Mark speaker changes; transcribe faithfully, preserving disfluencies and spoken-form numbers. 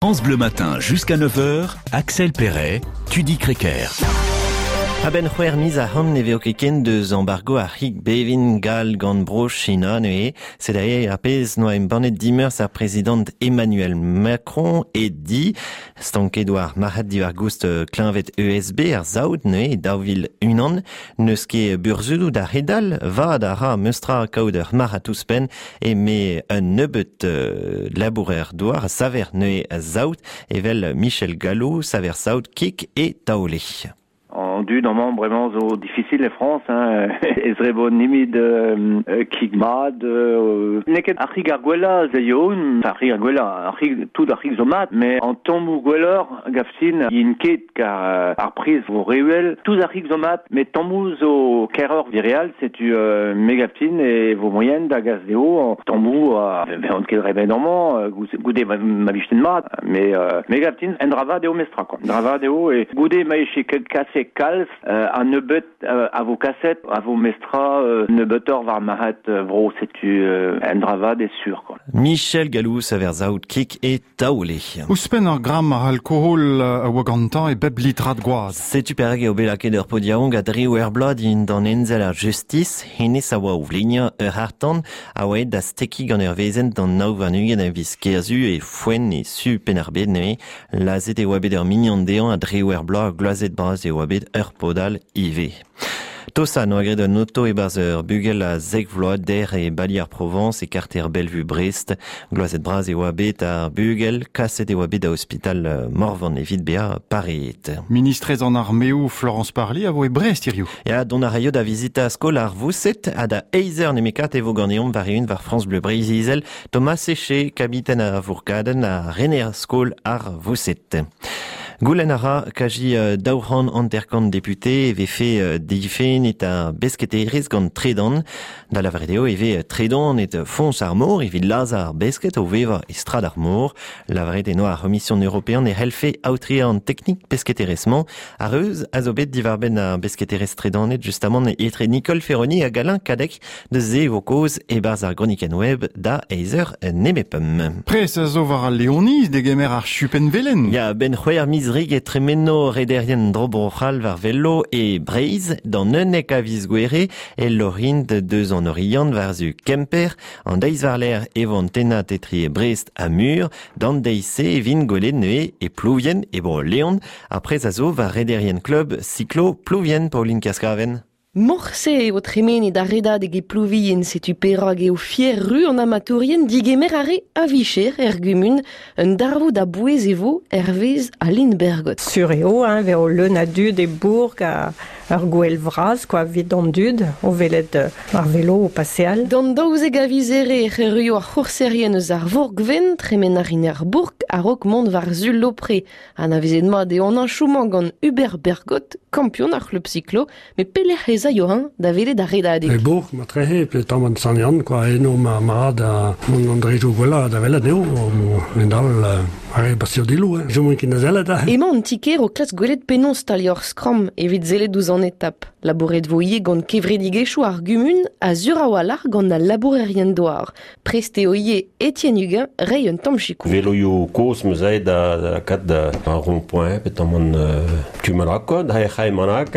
Speaker 1: France Bleu Matin jusqu'à neuf heures, Axel Perret, Tudi Crequer.
Speaker 2: A-benn c'hwec'h miz ac'hann ne veo ket ken deus embargo ar c'hig bevin gall gant bro China neuze. Sed aze ar pezh noa embannet dimeurzh ar prezidant Emmanuel Macron e di stanket war marc'had diwar goust kleñved E S B ar saout neuze daou vil unan. N'eus ket burzhudoù da c'hedal, vad a ra meustra kaout ur marc'had ouzhpenn eme un nebeut euh, labourer douar saver neuze saout evel Michel Gallo, saver saout kik e taole.
Speaker 3: En dud amañ bremañ zo difficile e France, hein, ez rebo nimid euh, kig mat, euh, n'eo ket ar c'hig ar gwellañ ze yo, ar c'hig ar gwellañ, ar c'hig, tout ar c'hig zo mat, mais en tammoù gwelloc'h gaftin, int ket kar ar priz vo rewel, tout ar c'hig zo mat, mais tammoù zo keroc'h vireal, setu euh, me gaftin e vo moyen da gas dezho en tammoù a veont ket remet amañ, goude ma, ma vichten mat, mais euh, me gaftin en drava dezho mestra, quoi. Drava dezho e goude ma eche ket kase kalz, euh, a nebeut euh, a vo kaset, a vo mestra euh, nebeutor war marc'had euh, vro, setu euh, en drava des sûr, quoi.
Speaker 2: Michel Gallou, saver zaout kik e taole.
Speaker 4: Ouzhpenn ar gramm ar alkohol a oa gantañ e bep litrad gwaz.
Speaker 2: Setu perag eo bet lakaet ur podiaouang a dre ur bloaz din d'an enzel ar justice, hennezh a oa o vleniañ ur c'harr-tan a oa aet da stekiñ gant ur vezenn d'an nav warn-ugent a viz Kerzu e Foenn e su Penn-ar-Bed neuze. Lazhet e oa bet ur mignon dezhañ a dre ur bloaz gloazet bras e oa bet ur podal ivez. Tosa noa graet un oto e-barzh ur bugel a zek vloaz der e bali ar Provence e karter Bellevue Brest. Gloazet bras e oa bet ar bugel, kaset e oa bet da ospital Morvan evit bezañ pareet.
Speaker 4: Ministrez an armeoù Florence Parly a vo e Brest hiziv.
Speaker 2: Ya, dont a raio da vizita skol ar Vousset ha da eizh eur nemekat e vo ganeomp war eeun war France Bleu Breizh-Izel Thomas Séché, kabiten ar Vourkadenn ha rener skol ar Vousset. Goulenn a ra kaji daou c'hant hanter-kant député e vefe difennet ar besketerezh gant tredan. Da lavaret eo e vez tredan et foñs ar mor evit lazhañ ar besket o vevañ e strad ar mor. Lavaret eo ar C'homision european e c'hellfe aotreañ an teknik pesketerezh-mañ. Ar reuz a zo bet diwar-benn ar besketerezh tredanet justamant etre Nicole Ferroni hag Alain Cadec deus se vo kaoz e-barzh ar gronikenn web da eizh eur nemepemp.
Speaker 4: Pres a zo war al Leoniz degemer ar chupenn velen.
Speaker 2: Ya, ben c'hwec'h miz rig e tremeno rederien dro-Bro-C'hall war velo e Breizh d'an unnek a viz Gouere e lorint deus an Oriant war-zu Kemper. An deiz war-lerc'h e vo an tennad etre Brest ha Mur. D'an deiz-se e vint gwelet neuze e Plouvien e Bro-Leon. Ar prez a zo war rederien klub Cyclo Plouvien, Pauline Kaskaven.
Speaker 5: Morse eo tremenet ar redadeg e Plouvien, setu perak eo fier ru an amatourien digemer ar re a vicher er gumun, un darvoud a bouez e vo hervez Aline Bergot.
Speaker 6: Sur eo, hein, veo leun a dud e bourg a ur gwell vras, quoi, evit an dud, o welet ar velo o paseal.
Speaker 5: D'an daouzek a viz here ec'h erruio ar c'hourserien eus ar Vourgven, tremen ar rin ar bourg a-raok mont war zu Lopre. Anavezet mat eo an anchoumañ gant Hubert Bergot, kampion ar c'hlub cyclo, met pelec'h ez aio hein, da welet ar redadeg.
Speaker 7: E bourg, ma trehe, pe tamm an Sant-Yann, quoi, eno ma mat a mont an drejoù gwellañ da welet eo, o dal ar re basio dilou, hein. Jomont ket na zellet, hein.
Speaker 5: Emañ an tiker o klask gwelet penaos staliañ ur skramm evit sellet ouzh an etap. Labouret vo ivez gant kevredigezhioù ar gumun a sur a-walc'h gant al labourerien douar. Prest eo ivez Étienne Huguin reiñ un tamm sikour.
Speaker 8: Veloioù kozh 'm eus aet da lakaat da un rond-point, pe tamm an euh, tu malak, quoi, da c'hae manak.